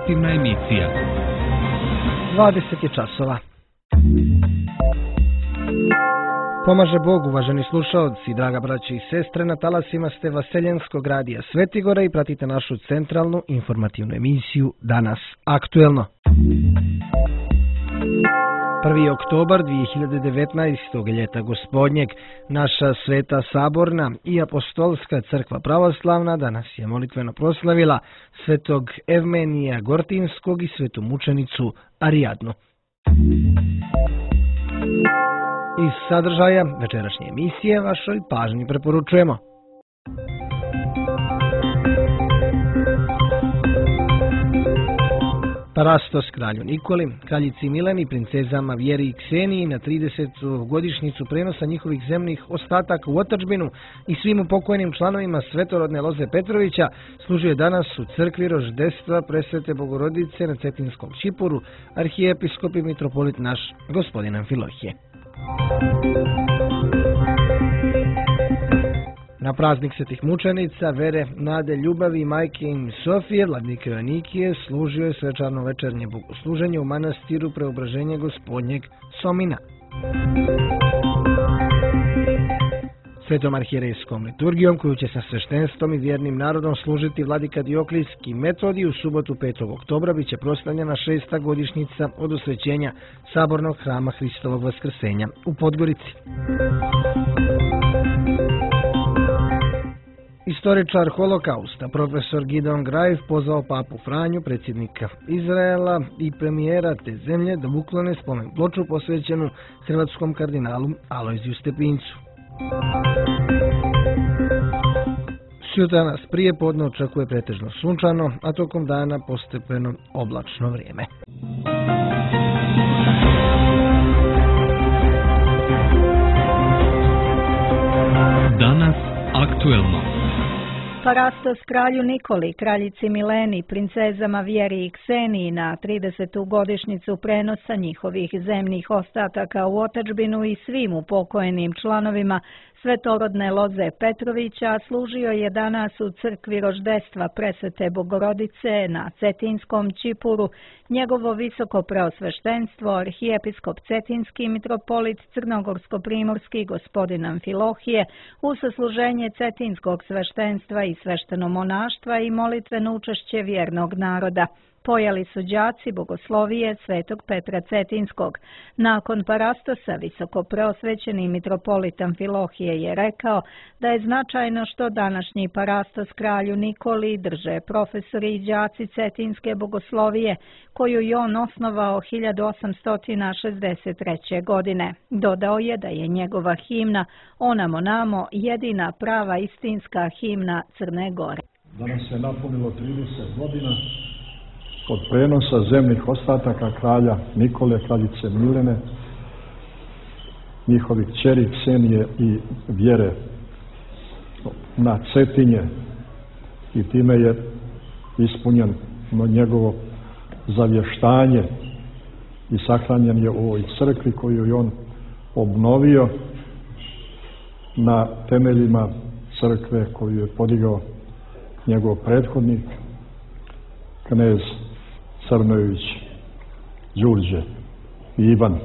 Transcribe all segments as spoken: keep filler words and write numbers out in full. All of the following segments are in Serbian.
informativna emisija. dvadeset je časova. Pomaže Bog, uvaženi slušaoci, draga braći i sestre, na talasima ste Vaseljenskog radija Svetigora i pratite našu centralnu informativnu emisiju Danas aktuelno. prvi oktobar dvije hiljade devetnaestog. ljeta gospodnjeg, naša Sveta Saborna i Apostolska crkva pravoslavna danas je molitveno proslavila svetog Evmenija Gortinskog i svetu mučenicu Arijadnu. Iz sadržaja večerašnje emisije vašoj pažnji preporučujemo. Parastos kralju Nikoli, kraljici Mileni, princezama Vjeri i Kseniji na tridesetu godišnjicu prenosa njihovih zemnih ostataka u otadžbinu i svim upokojnim članovima svetorodne loze Petrovića služio je danas u crkvi Roždestva Presvete Bogorodice na Cetinskom Čipuru arhijepiskop i mitropolit naš gospodin Amfilohije. Na praznik svetih mučenica, vere, nade, ljubavi, majke im Sofije, vladike Joanikije, služio je svečarno večernje bogosluženje u manastiru Preobraženja Gospodnjeg Somina. Svetom arhijerejskom liturgijom, koju će sa sveštenstvom i vjernim narodom služiti vladika Dioklijski Metodij, u subotu petog oktobra bit će proslavljena šesta godišnjica od osvećenja Sabornog hrama Hristovog Vaskrsenja u Podgorici. Istoričar holokausta, profesor Gideon Graev, pozvao papu Franju, predsjednika Izraela i premijera te zemlje da uklone spomen ploču posvećenu hrvatskom kardinalu Alojziju Stepincu. Sutra nas prije podne očekuje pretežno sunčano, a tokom dana postepeno oblačno vrijeme. Danas aktuelno. Parastos kralju Nikoli, kraljici Mileni, princezama Vjeri i Kseniji na tridesetu godišnjicu prenosa njihovih zemnih ostataka u otadžbinu i svim upokojenim članovima svetorodne loze Petrovića služio je danas u crkvi Roždestva Presvete Bogorodice na Cetinskom Čipuru njegovo visoko preosveštenstvo arhijepiskop Cetinski mitropolit Crnogorsko-primorski gospodin Amfilohije uz sasluženje Cetinskog sveštenstva i sveštenomonaštva i molitveno učešće vjernog naroda. Pojeli su đaci bogoslovije svetog Petra Cetinskog. Nakon parastosa visoko preosvećeni mitropolit Amfilohije je rekao da je značajno što današnji parastos kralju Nikoli drže profesori i đaci Cetinske bogoslovije, koju je on osnovao hiljadu osamsto šezdeset treće. godine. Dodao je da je njegova himna Onamo namo jedina prava istinska himna Crne Gore. Danas se napunilo trideset godina od prenosa zemnih ostataka kralja Nikole, kraljice Milene, njihovih kćeri Ksenije i Vjere na Cetinje, i time je ispunjeno njegovo zavještanje i sahranjen je u ovoj crkvi koju je on obnovio na temeljima crkve koju je podigao njegov prethodnik knez Crnojević Đurđe i Ivan.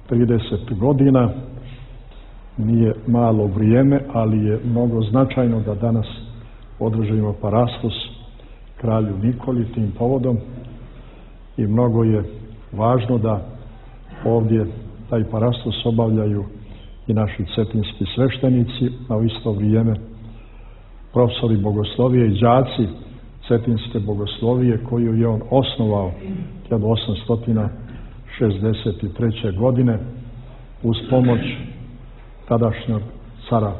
trideset godina nije malo vrijeme, ali je mnogo značajno da danas održimo parastos kralju Nikoli tim povodom i mnogo je važno da ovdje taj parastos obavljaju i naši cetinski sveštenici, a u isto vrijeme profesori bogoslovije i đaci Cetinske bogoslovije koju je on osnovao hiljadu osamsto šezdeset treće. godine uz pomoć tadašnjeg cara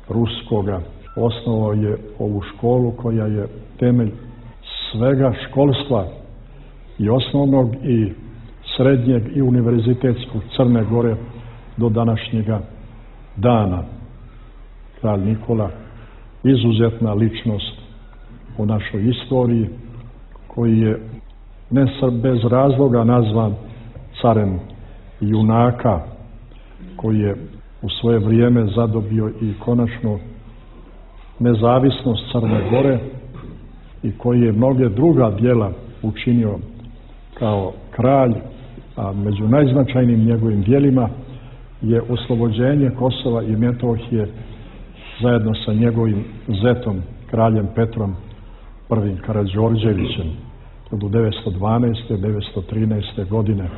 Ruskoga. Osnovao je ovu školu koja je temelj svega školstva i osnovnog i srednjeg i univerzitetskog Crne Gore do današnjega dana. Kralj Nikola, izuzetna ličnost u našoj istoriji, koji je ne bez razloga nazvan carem junaka, koji je u svoje vrijeme zadobio i konačno nezavisnost Crne Gore i koji je mnoge druga djela učinio kao kralj, a među najznačajnijim njegovim djelima je oslobođenje Kosova i Metohije zajedno sa njegovim zetom, kraljem Petrom prvim Karađorđevićem od devetsto dvanaeste do devetsto trinaeste. godine.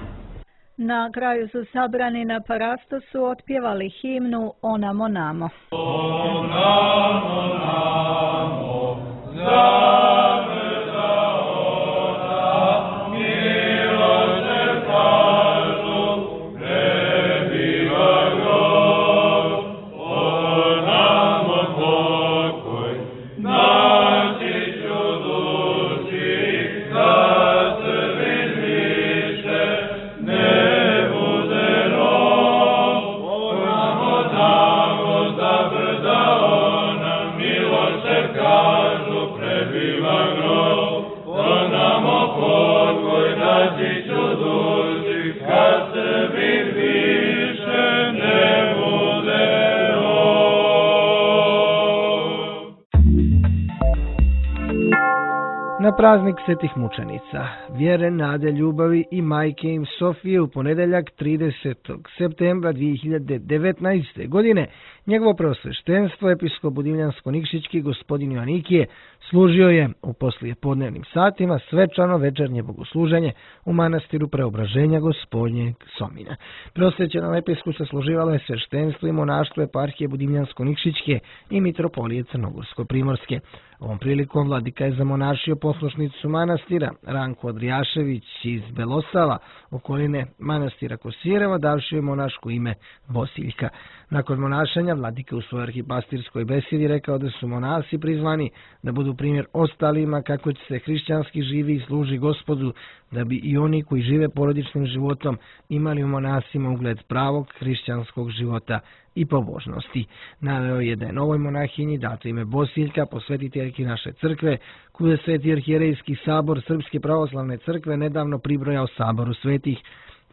Na kraju su sabrani na parastosu otpjevali himnu Onamo namo. Onamo namo, zaveza ona, milo se kažu, prebiva grob, onamo pokoj, naći ću duši, da se više ne bude rob, onamo tamo za brda ona, milo se kažu, prebiva grob, onamo pokoj, naći ću duši, kad se više ne bude rob. Na praznik svetih mučenica, vjere, nade, ljubavi i majke im Sofije u ponedeljak tridesetog septembra dvije hiljade devetnaeste. godine njegovo preosveštenstvo episkop Budimljansko-Nikšićki gospodin Joanikije služio je u poslijepodnevnim satima svečano večernje bogosluženje u manastiru Preobraženja Gospodnjeg Somina. Prosvećenom episku se služivalo je sveštenstvo i monaštvo eparhije Budimljansko-Nikšićke i mitropolije Crnogorsko-Primorske. Ovom prilikom vladika je zamonašio poslušnicu manastira Ranku Adrijašević iz Belosava, okoline manastira Kosireva, davši je monaško ime Bosiljka. Nakon monašanja vladika u svojoj arhipastirskoj besedi rekao da su monasi prizvani da budu primjer ostalima kako će se hrišćanski živi i služi Gospodu, da bi i oni koji žive porodičnim životom imali u monasima ugled pravog hrišćanskog života i pobožnosti. Naveo je da je novoj monahinji dato ime Bosiljka, posvetiteljki naše crkve, koju je Sveti arhijerejski sabor Srpske pravoslavne crkve nedavno pribrojao saboru svetih.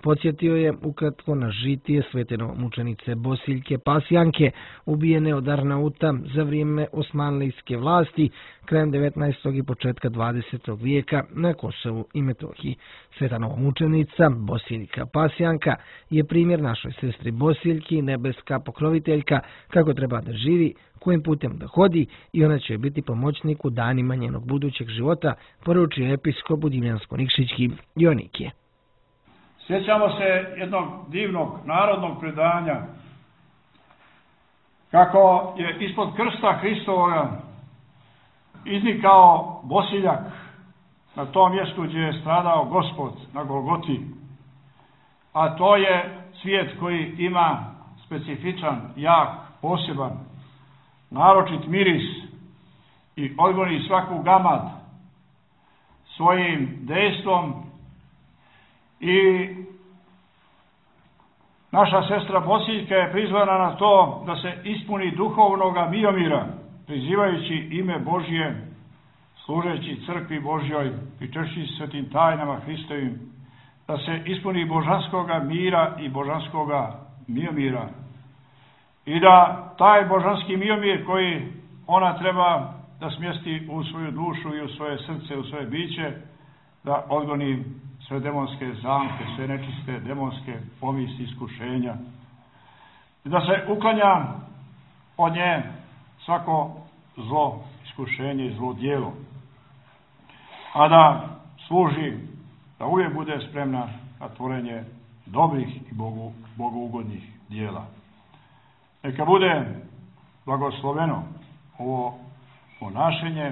Podsjetio je ukratko na žitije svete mučenice Bosiljke Pasjanke, ubijene od Arnauta za vrijeme osmanlijske vlasti krajem devetnaestog i početka dvadesetog vijeka na Kosovu i Metohiji. Sveta novomučenica Bosiljka Pasjanka je primjer našoj sestri Bosiljki, nebeska pokroviteljka, kako treba da živi, kojim putem da hodi, i ona će biti pomoćnik u danima njenog budućeg života, poručio episkop Budimljansko-Nikšićki Joanikije. Sjećamo se jednog divnog narodnog predanja kako je ispod krsta Hristovoga iznikao Bosiljak na tom mjestu gdje je stradao Gospod na Golgoti, a to je svijet koji ima specifičan, jak, poseban, naročit miris i odgoni svaku gamad svojim dejstvom. I naša sestra Bosiljka je prizvana na to da se ispuni duhovnoga miomira, prizivajući ime Božje, služeći crkvi Božjoj, pričešći svetim tajnama Hristovim, da se ispuni božanskoga mira i božanskoga miomira. I da taj božanski miomir koji ona treba da smjesti u svoju dušu i u svoje srce, u svoje biće, da odgoni sve demonske zamke, sve nečiste demonske pomisli, iskušenja. I da se uklanja od nje svako zlo, iskušenje i zlo djelo. A da služi, da uvijek bude spremna na tvorenje dobrih i Bogu, bogougodnih djela. Neka bude blagosloveno ovo ponašenje.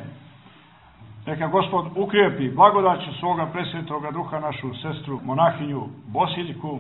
Neka Gospod ukrijepi blagodaću svoga presvetoga duha našu sestru monahinju Bosiljku.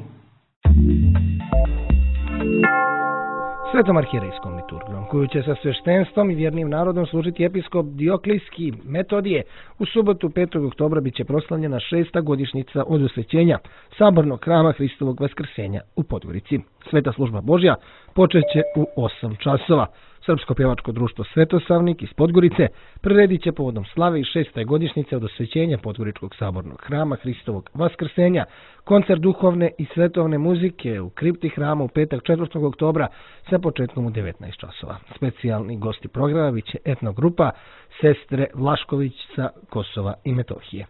Svetom arhijerejskom liturgijom, koju će sa sveštenstvom i vjernim narodom služiti episkop Dioklijski Metodije, u subotu petog oktobra bit će proslavljena šesta godišnjica od osvećenja Sabornog hrama Hristovog Vaskrsenja u Podgorici. Sveta služba Božja počeće u osam časova. Srpsko pjevačko društvo Svetosavnik iz Podgorice priredit će povodom slave i šeste godišnjice od osvećenja Podgoričkog sabornog hrama Hristovog Vaskrsenja koncert duhovne i svetovne muzike u kripti hrama u petak četvrtog oktobra sa početkom u devetnaest časova. Specijalni gosti programa bit će etnogrupa Sestre Vlašković sa Kosova i Metohije.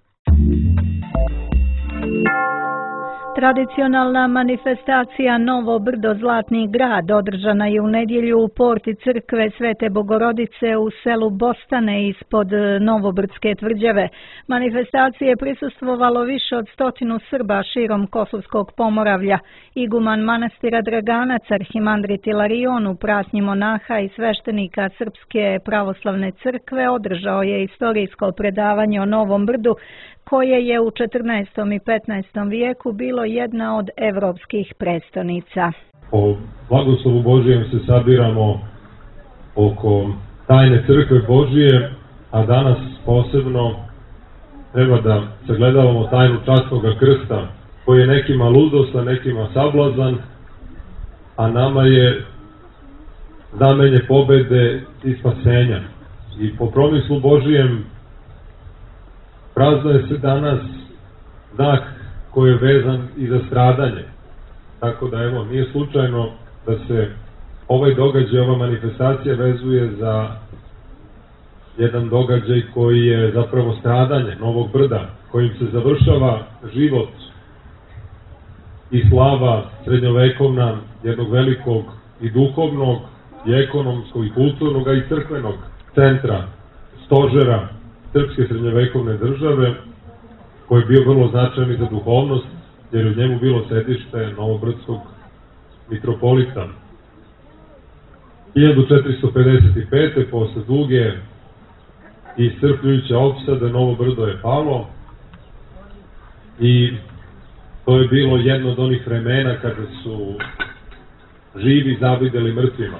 Tradicionalna manifestacija Novo Brdo Zlatni grad održana je u nedjelju u porti crkve Svete Bogorodice u selu Bostane ispod Novobrdske tvrđave. Manifestacije je prisustvovalo više od stotinu Srba širom Kosovskog Pomoravlja. Iguman manastira Draganac, arhimandrit Ilarion u pratnji monaha i sveštenika Srpske pravoslavne crkve održao je istorijsko predavanje o Novom Brdu, koje je u četrnaestom i petnaestom vijeku bilo jedna od evropskih prestonica. Po blagoslovu Božijem se sabiramo oko tajne crkve Božije, a danas posebno treba da sagledavamo tajnu časnog krsta, koji je nekima ludost, a nekima sablazan, a nama je znamenje pobede i spasenja. I po promislu Božijem praznuje se danas znak koji je vezan i za stradanje. Tako da, evo, nije slučajno da se ovaj događaj, ova manifestacija vezuje za jedan događaj koji je zapravo stradanje Novog Brda, kojim se završava život i slava srednjovekovna jednog velikog i duhovnog, i ekonomskog, i kulturnog, a i crkvenog centra, stožera srpske srednjovekovne države, koji je bio vrlo značajan i za duhovnost, jer je u njemu bilo sedište novobrdskog mitropolita. hiljadu četiristo pedeset pete. posle duge i iscrpljujuće opsade, Novo Brdo je palo i to je bilo jedno od onih vremena kada su živi zavideli mrtvima.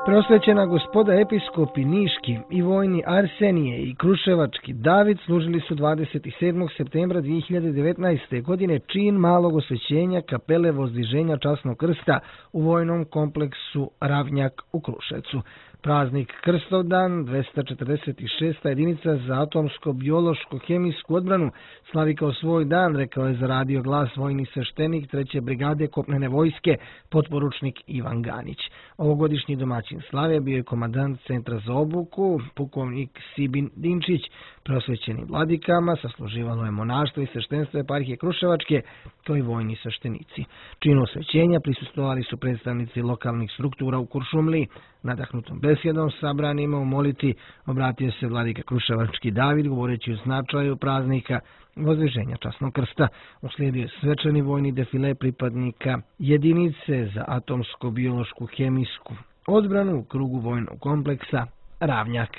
Preosvećena gospoda episkopi Niški i vojni Arsenije i Kruševački David služili su dvadeset sedmog septembra dvije hiljade devetnaeste. godine čin malog osvećenja kapele Vozdiženja časnog krsta u vojnom kompleksu Ravnjak u Kruševcu. Praznik Krstovdan, dvesta četrdeset šesta. jedinica za atomsko-biološko-hemijsku odbranu, slavi kao svoj dan, rekao je za radio Glas vojni sveštenik treće brigade kopnene vojske, potporučnik Ivan Ganić. Ovogodišnji domaćin slave bio je komandant centra za obuku, pukovnik Sibin Dinčić. Preosvećenim vladikama sasluživalo je monaštvo i sveštenstvo eparhije Kruševačke, kao i vojni sveštenici. Činu osvećenja prisustvovali su predstavnici lokalnih struktura u Kuršumliji. Nadahnutom besjedom sabranima u moliti obratio se vladika Kruševački David, govoreći o značaju praznika Vozdiženja časnog krsta. Uslijedio je svečani vojni defile pripadnika jedinice za atomsko-biološku hemijsku odbranu u krugu vojnog kompleksa Ravnjak.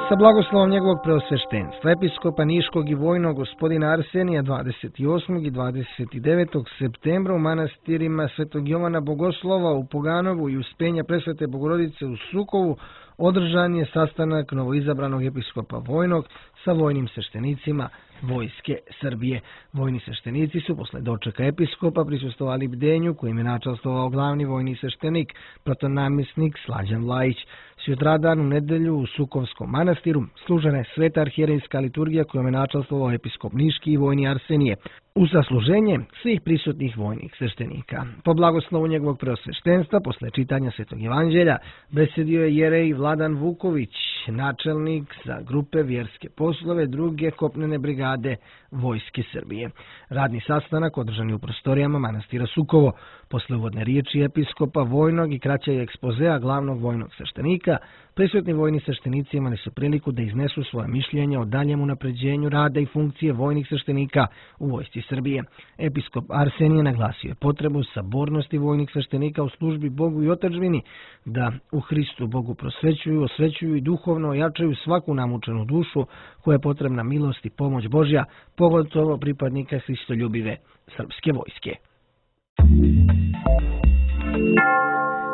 Sa blagoslovom njegovog preosveštenstva, episkopa Niškog i vojnog gospodina Arsenija dvadeset osmog i dvadeset devetog septembra u manastirima Svetog Jovana Bogoslova u Poganovu i Uspenja Presvete Bogorodice u Sukovu održan je sastanak novoizabranog episkopa vojnog sa vojnim sveštenicima Vojske Srbije. Vojni sveštenici su posle dočeka episkopa prisustvovali bdenju kojim je načastvovao glavni vojni sveštenik, protonamjesnik Slađan Vlajić. Sutradan u nedelju u Sukovskom manastiru služena je sveta arhijerejska liturgija kojom je načastvovao episkop Niški i vojni Arsenije, u zasluženje svih prisutnih vojnih sveštenika. Po blagoslovu njegovog preosveštenstva, posle čitanja Svetog evanđelja, besedio je jerej Vladan Vuković, načelnik za grupe vjerske poslove druge kopnene brigade Vojske Srbije. Radni sastanak održan je u prostorijama manastira Sukovo. Posle uvodne riječi episkopa vojnog i kraćeg ekspozea glavnog vojnog sveštenika, prisutni vojni sveštenici imali su priliku da iznesu svoje mišljenja o daljem unapređenju rada i funkcije vojnih sveštenika u Vojsci Srbije. Episkop Arsenije naglasio je potrebu sabornosti vojnih sveštenika u službi Bogu i otadžbini, da u Hristu Bogu prosvećuju, osvećuju i duhovno ojačaju svaku namučenu dušu koja je potrebna milost i pomoć Božja, pogotovo pripadnika hristoljubive srpske vojske.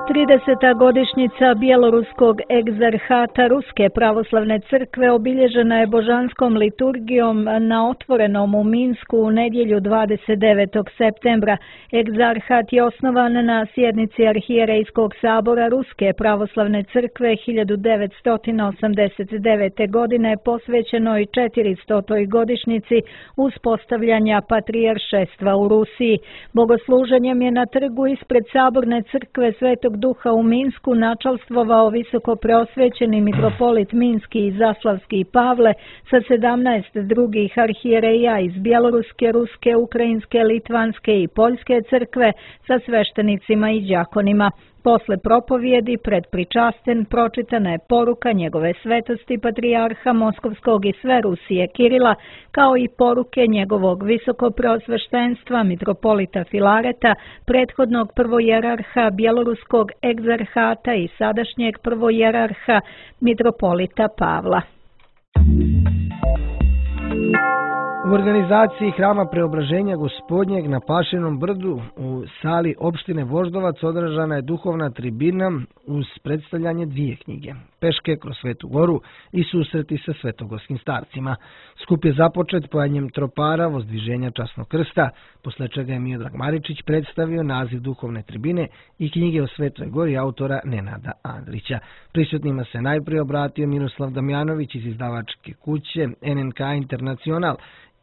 trideseta godišnjica bjeloruskog egzarhata Ruske pravoslavne crkve obilježena je božanskom liturgijom na otvorenom u Minsku u nedjelju dvadeset devetog septembra. Egzarhat je osnovan na sjednici Arhijerejskog sabora Ruske pravoslavne crkve hiljadu devetsto osamdeset devete. godine posvećenoj četiristotoj godišnjici uspostavljanja patrijaršestva u Rusiji. Bogosluženjem je na trgu ispred saborne crkve Svetog Svetog Duha u Minsku načalstvovao visoko preosvećeni mitropolit Minski i Zaslavski Pavle sa sedamnaest drugih arhijereja iz Bjeloruske, Ruske, Ukrajinske, Litvanske i Poljske crkve sa sveštenicima i đakonima. Posle propovjedi pred pričasten pročitana je poruka njegove svetosti patrijarha Moskovskog i sve Rusije Kirila, kao i poruke njegovog visokopreosveštenstva mitropolita Filareta, prethodnog prvojerarha Bjeloruskog egzarhata i sadašnjeg prvojerarha mitropolita Pavla. U organizaciji Hrama Preobraženja Gospodnjeg na Pašinom brdu u sali opštine Voždovac održana je duhovna tribina uz predstavljanje dvije knjige, Peške kroz Svetu Goru i Susreti sa svetogorskim starcima. Skup je započet pojanjem tropara Vozdviženja časnog krsta, posle čega je Miodrag Maričić predstavio naziv duhovne tribine i knjige o Svetoj Gori autora Nenada Andrića. Prisutnima se najprije obratio Miroslav Damjanović iz izdavačke kuće N N K Internacional,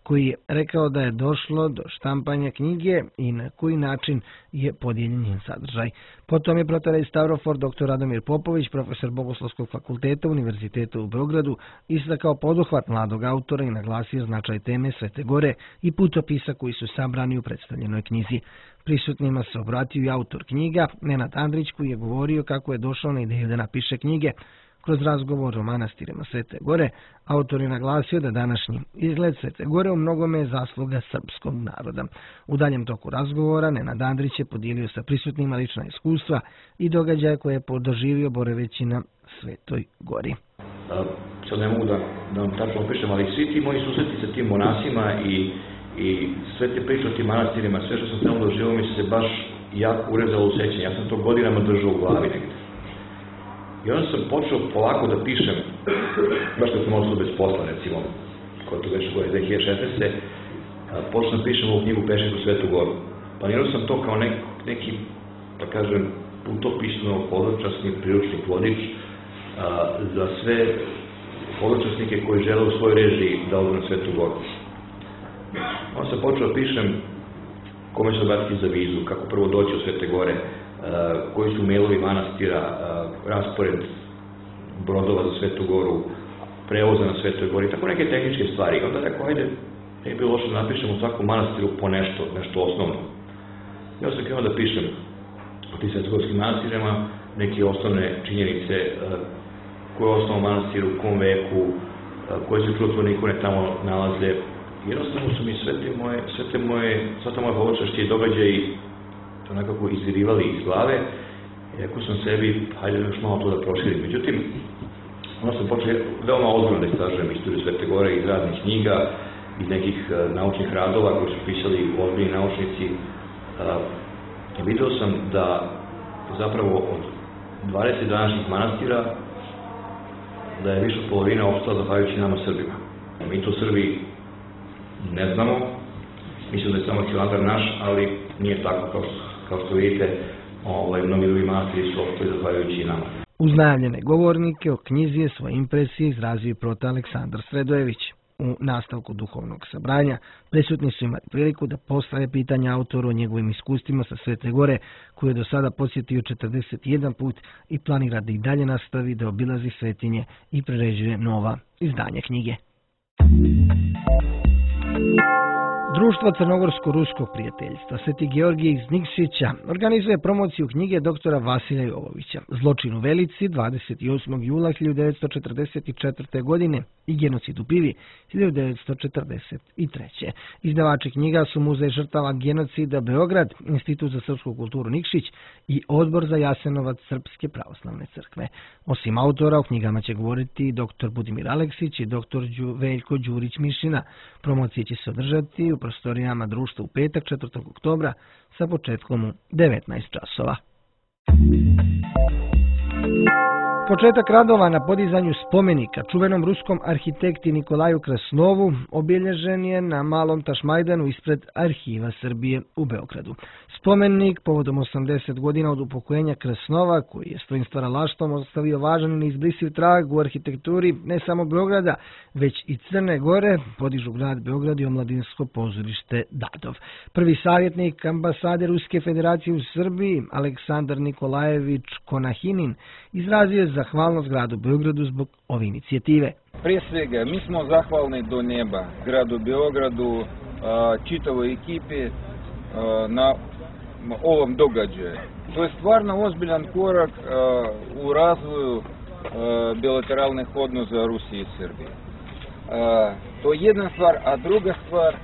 koji je rekao da je došlo do štampanja knjige i na koji način je podijeljen njen sadržaj. Potom je protorej Stavrofor dr. Radomir Popović, profesor Bogoslovskog fakulteta Univerziteta u Beogradu, istakao poduhvat mladog autora i naglasio značaj teme Svete Gore i putopisa koji su sabrani u predstavljenoj knjizi. Prisutnima se obratio i autor knjiga, Nenad Andrić, koji je govorio kako je došao na ideju da napiše knjige. Kroz razgovor o manastirima Svete Gore, autor je naglasio da današnji izgled Svete Gore u mnogome je zasluga srpskog naroda. U daljem toku razgovora Nenad Andrić je podijelio sa prisutnima lična iskustva i događaje koje je doživio boraveći na Svetoj Gori. Sad ne mogu da, da vam tačno opišem, ali svi ti moji susreti sa tim monasima i, i sve te priče o tim manastirima, sve što sam tamo doživio mi se baš jako urezalo u sećanje. Ja sam to godinama držao u glavi negde. I onda sam počeo polako da pišem, baš kad sam ostao bez posla, recimo, koja to već gore dve hiljade šesnaeste. Počeo sam pišem ovu knjigu Peške kroz Svetu Goru. Planirao sam to kao nek, neki, da kažem, putopisno hodočasni priručnik vodič a, za sve hodočasnike koji žele u svojoj režiji da odu na Svetu Goru. Onda sam počeo da pišem kome se obratiti za vizu, kako prvo doći u Svete Gore, Uh, koji su mailovi manastira, uh, raspored brodova za Svetu Goru, prevoza na Svetoj Gori, tako neke tehničke stvari. Onda rekao, ajde, ne bi bilo loše da napišemo u svakom manastiru po nešto, nešto osnovno. Ja sam krenuo da pišem o tim svetogorskim manastirima, neke osnovne činjenice, uh, koje je osnovno manastiru, u kom veku, uh, koje se čudotvorne ikone tamo nalaze. Jednostavno su mi sve te moje, sve te moje, sva ta moja hodočašća i događaji to nekako izvirivali iz glave, i rekao sam sebi, hajde još malo to da proširim. Međutim, onda sam počeo veoma ozbiljno da istražujem istoriju Svete Gore iz raznih knjiga, iz nekih uh, naučnih radova koji su pisali ozbiljni naučnici. Uh, i vidio sam da zapravo od dvadeset današnjih manastira da je više od polovina ostala zahvaljujući nama Srbima. Mi to Srbi ne znamo, mislim da je samo Hilandar naš, ali nije tako kao što, kao što vidite, ovaj, mnogi drugi manastiri su ostali zahvaljujući nama. Uz najavljene govornike o knjizi je svoje impresije izrazio i proto Aleksandar Sredojević. U nastavku duhovnog sabranja prisutni su imali priliku da postave pitanja autoru o njegovim iskustvima sa Svete Gore, koju je do sada posjetio četrdeset jedan put i planira da i dalje nastavi da obilazi svetinje i priređuje nova izdanja knjige. Društvo Crnogorsko-ruskog prijateljstva Sveti Georgije iz Nikšića organizuje promociju knjige doktora Vasilja Jovovića Zločin u Velici dvadeset osmog jula hiljadu devetsto četrdeset četvrte. godine i Genocid u Pivi hiljadu devetsto četrdeset treće. Izdavači knjiga su Muzej žrtava genocida Beograd, Institut za srpsku kulturu Nikšić i Odbor za Jasenovac Srpske pravoslavne crkve. Osim autora, o knjigama će govoriti doktor Budimir Aleksić i doktor Veljko Đurić-Mišina. Promocije će se održati u prostorijama društva u petak četvrtog oktobra sa početkom u devetnaest časova. Početak radova na podizanju spomenika čuvenom ruskom arhitekti Nikolaju Krasnovu obilježen je na Malom Tašmajdanu ispred Arhiva Srbije u Beogradu. Spomenik povodom osamdeset godina od upokojenja Krsnova, koji je svojim stvaralaštvom ostavio važan i neizbrisiv trag u arhitekturi ne samo Beograda, već i Crne Gore, podižu grad Beograd i omladinsko pozorište Dadov. Prvi savjetnik ambasade Ruske federacije u Srbiji, Aleksandar Nikolajević Konahinin, izrazio je zahvalnost gradu Beogradu zbog ove inicijative. Prije svega, mi smo zahvalni do neba gradu Beogradu, čitavoj ekipi na ovom događaju. To je stvarno ozbiljan korak u razvoju bilateralnih odnosa Rusije i Srbije. To je jedna stvar, a druga stvar,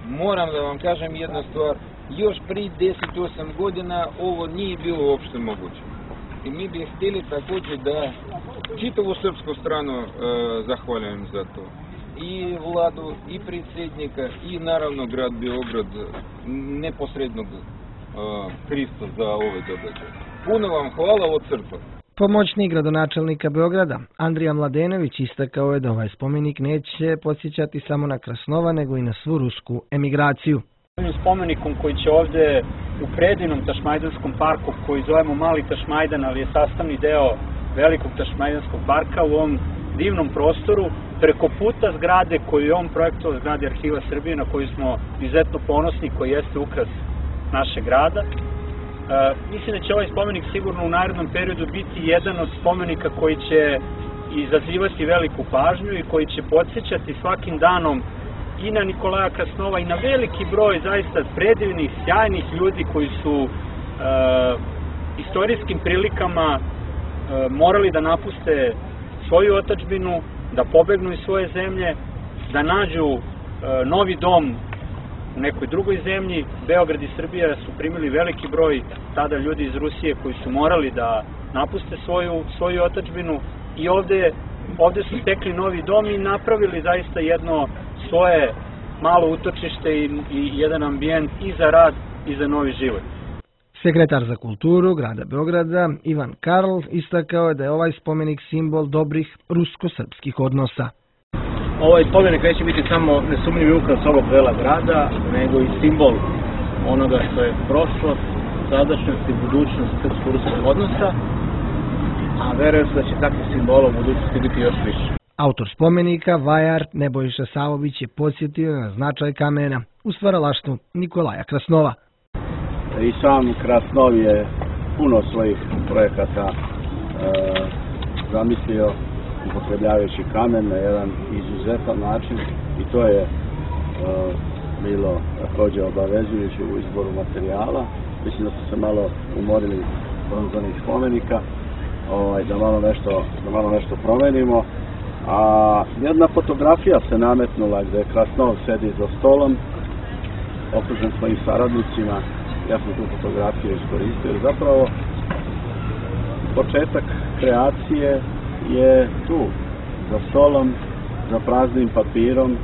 moram da vam kažem jednu stvar, još prije deset do osam godina ovo nije bilo uopšte moguće. I mi bi htjeli također da čitavu srpsku stranu zahvaljujem za to. I vladu, i predsjednika, i naravno grad Beograd neposrednog krivca za ove događaje. Puno vam hvala od srca. Pomoćnik gradonačelnika Beograda, Andrija Mladenović, istakao je da ovaj spomenik neće podsjećati samo na Krasnova, nego i na svu rusku emigraciju. Ovim spomenikom koji će ovdje u predivnom Tašmajdanskom parku, koji zovemo Mali Tašmajdan, ali je sastavni deo velikog Tašmajdanskog parka, u ovom divnom prostoru, preko puta zgrade koju je on projektovao, zgrade Arhiva Srbije, na koju smo izuzetno ponosni, koji jeste ukras našeg grada. E, mislim da će ovaj spomenik sigurno u narednom periodu biti jedan od spomenika koji će izazivati veliku pažnju i koji će podsjećati svakim danom i na Nikolaja Krasnova i na veliki broj zaista predivnih, sjajnih ljudi koji su e, istorijskim prilikama e, morali da napuste svoju otadžbinu, da pobegnu iz svoje zemlje, da nađu e, novi dom u nekoj drugoj zemlji. Beograd i Srbija su primili veliki broj tada ljudi iz Rusije koji su morali da napuste svoju, svoju otadžbinu i ovde, ovde su stekli novi dom i napravili zaista jedno svoje malo utočište i, i jedan ambijent i za rad i za novi život. Sekretar za kulturu grada Beograda Ivan Karl istakao je da je ovaj spomenik simbol dobrih rusko-srpskih odnosa. Ovaj spomenik neće biti samo nesumnjivi ukras ovog dela grada, nego i simbol onoga što je prošlost, sadašnjost i budućnost srpsko-ruskih odnosa, a verujem se da će takvih simbola u budućnosti biti još više. Autor spomenika, vajar Nebojša Savović, je podsjetio na značaj kamena u stvaralaštvu Nikolaja Krasnova. I sam Krasnov je puno svojih projekata e, zamislio upotrebljavajući kamen na jedan izuzetan način i to je e, bilo također obavezujuće u izboru materijala. Mislim da su se malo umorili bronzanih spomenika, ovaj, da, malo nešto, da malo nešto promenimo. A jedna fotografija se nametnula gdje Krasnov sedi za stolom, okružen svojim saradnicima. Ja sam tu fotografiju iskoristio jer zapravo početak kreacije je tu, za stolom, za praznim papirom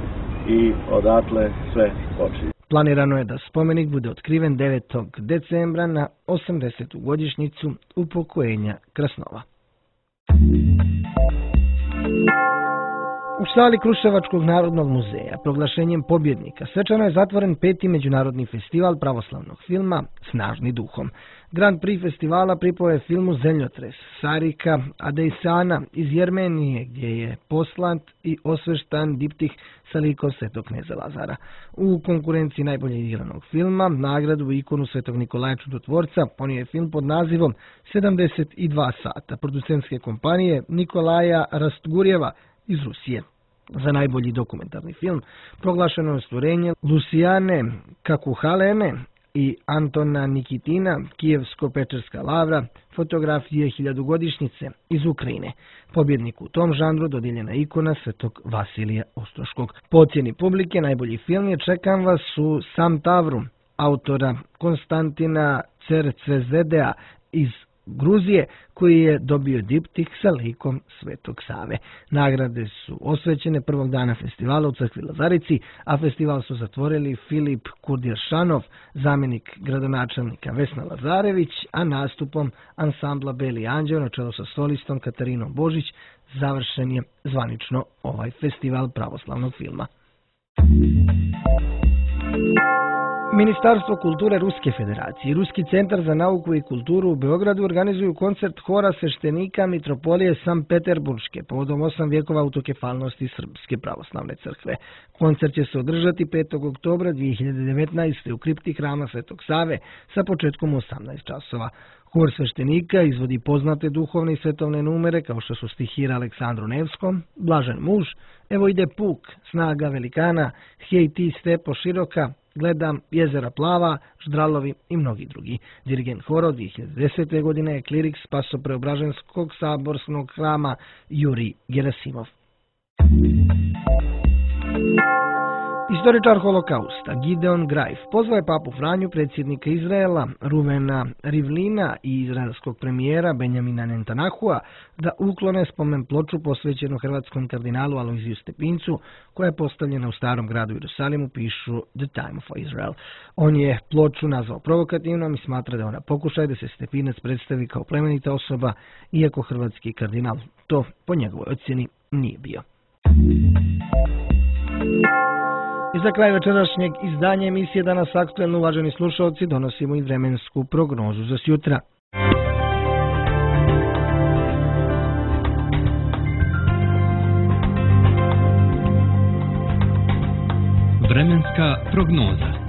i odatle sve počinje. Planirano je da spomenik bude otkriven devetog decembra na osamdesetu godišnjicu upokojenja Krasnova. U sali Kruševačkog narodnog muzeja proglašenjem pobjednika svečano je zatvoren peti međunarodni festival pravoslavnog filma Snažni duhom. Grand Prix festivala pripao je filmu Zemljotres Sarika Adejsana iz Jermenije, gdje je poslat i osveštan diptih sa likom Svetog kneza Lazara. U konkurenciji najbolje igranog filma nagradu ikonu Svetog Nikolaja Čudotvorca ponio je film pod nazivom sedamdeset dva sata producentske kompanije Nikolaja Rastgurjeva iz Rusije. Za najbolji dokumentarni film proglašeno je stvorenje Lucijane Kakuhalene i Antona Nikitina, Kijevsko-Pečerska lavra, fotografije hiljadugodišnjice iz Ukrajine. Pobjednik u tom žanru dodijeljena ikona Svetog Vasilija Ostroškog. Po ocjeni publike najbolji film je Čekam vas u Sam Tavru, autora Konstantina Cercvezedea iz Gruzije, koji je dobio diptih sa likom Svetog Save. Nagrade su osvećene prvog dana festivala u crkvi Lazarici, a festival su zatvorili Filip Kurdiršanov, zamjenik gradonačelnika Vesna Lazarević, a nastupom ansambla Beli anđeo na čelu sa solistom Katarinom Božić završen je zvanično ovaj festival pravoslavnog filma. Ministarstvo kulture Ruske federacije i Ruski centar za nauku i kulturu u Beogradu organizuju koncert hora sveštenika Mitropolije Sankt-Peterburške povodom osam vjekova autokefalnosti Srpske pravoslavne crkve. Koncert će se održati petog oktobra dvije hiljade devetnaeste. u kripti hrama Svetog Save sa početkom u osamnaest časova. Hor sveštenika izvodi poznate duhovne i svetovne numere kao što su stihira Aleksandru Nevskom, Blažen muž, Evo ide puk, Snaga velikana, Hej ti stepo široka, Gledam jezera plava, Ždralovi i mnogi drugi. Dirigent hora od dvije hiljade desete. godine je klirik Spasopreobraženskog saborskog hrama Jurij Gerasimov. Istoričar holokausta Gideon Greif pozvao je papu Franju, predsjednika Izraela Ruvena Rivlina i izraelskog premijera Benjamina Netanjahua da uklone spomen ploču posvećenu hrvatskom kardinalu Alojziju Stepincu, koja je postavljena u starom gradu Jerusalimu, pišu The Time of Israel. On je ploču nazvao provokativnom i smatra da je ona pokušaj da se Stepinac predstavi kao plemenita osoba, iako hrvatski kardinal to po njegovoj ocjeni nije bio. I za kraj večerašnjeg izdanja emisije Danas aktuelno, uvaženi slušalci, donosimo i vremensku prognozu za sjutra. Vremenska prognoza.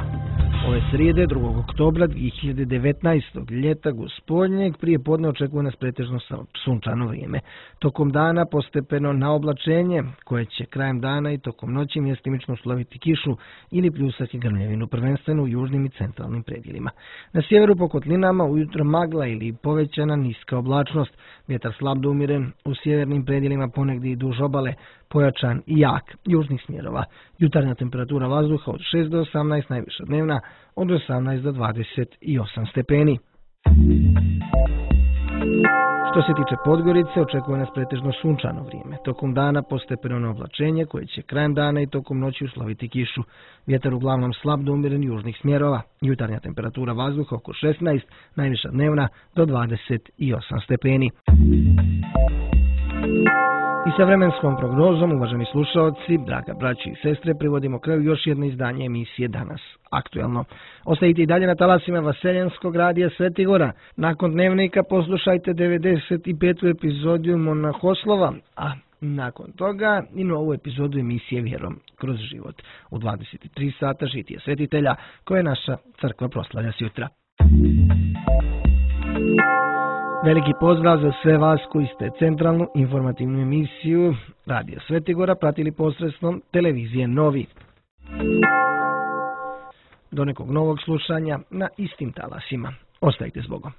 Ove srijede, drugog oktobra dvije hiljade devetnaeste. ljeta gospodnjeg, prije podne očekuje nas pretežno sunčano vrijeme. Tokom dana postepeno na oblačenje, koje će krajem dana i tokom noći mjestimično usloviti kišu ili pljusati grmljevinu, prvenstveno u južnim i centralnim predjelima. Na sjeveru po kotlinama ujutro magla ili povećana niska oblačnost, vjetar slab do umiren, u sjevernim predjelima ponegdje i duž obale, pojačan i jak južnih smjerova. Jutarnja temperatura vazduha od šest do osamnaest, najviša dnevna od osamnaest do dvadeset osam stepeni. Što se tiče Podgorice, očekuje nas pretežno sunčano vrijeme. Tokom dana postepeno na oblačenje, koje će krajem dana i tokom noći usloviti kišu. Vjetar uglavnom slab do umiren južnih smjerova. Jutarnja temperatura vazduha oko šesnaest, najviša dnevna do dvadeset osam stepeni. I sa vremenskom prognozom, uvaženi slušalci, draga braći i sestre, privodimo kraju još jedno izdanje emisije Danas aktuelno. Ostajite i dalje na talasima Vaseljenskog radija Svetigora. Nakon dnevnika poslušajte devedeset petu epizodu Monahoslova, a nakon toga i novu epizodu emisije Vjerom kroz život. U dvadeset tri sata žitije svetitelja, koje naša crkva proslavlja sjutra. Veliki pozdrav za sve vas koji ste centralnu informativnu emisiju Radija Svetigora pratili posredstvom televizije Novi. Do nekog novog slušanja na istim talasima. Ostajte s Bogom.